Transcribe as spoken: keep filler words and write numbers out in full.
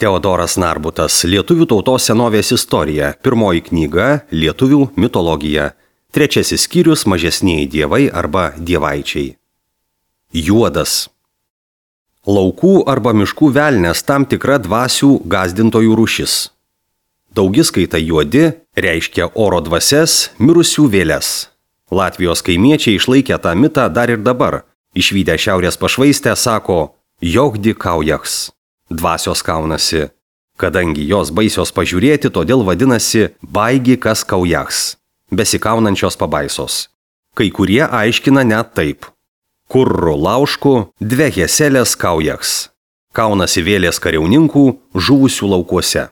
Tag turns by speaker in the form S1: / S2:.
S1: Teodoras Narbutas, Lietuvių tautos senovės istorija, pirmoji knyga Lietuvių mitologija, trečiasis skyrius mažesnieji dievai arba dievaičiai. Juodas. Laukų arba miškų velnias tam tikra dvasių gąsdintojų rūšis. Daugiskaita juodi reiškia oro dvasias, mirusių vėles. Latvijos kaimiečiai išlaikė tą mitą dar ir dabar. Išvydę šiaurės pašvaistę sako, jogdi kaujaks. Dvasios kaunasi. Kadangi jos baisios pažiūrėti, todėl vadinasi baigi kas kaujaks. Besikaunančios pabaisos. Kai kurie aiškina net taip. Kurru laušku, dve heselės kaujaks. Kaunasi vėlės kariauninkų žuvusių laukuose.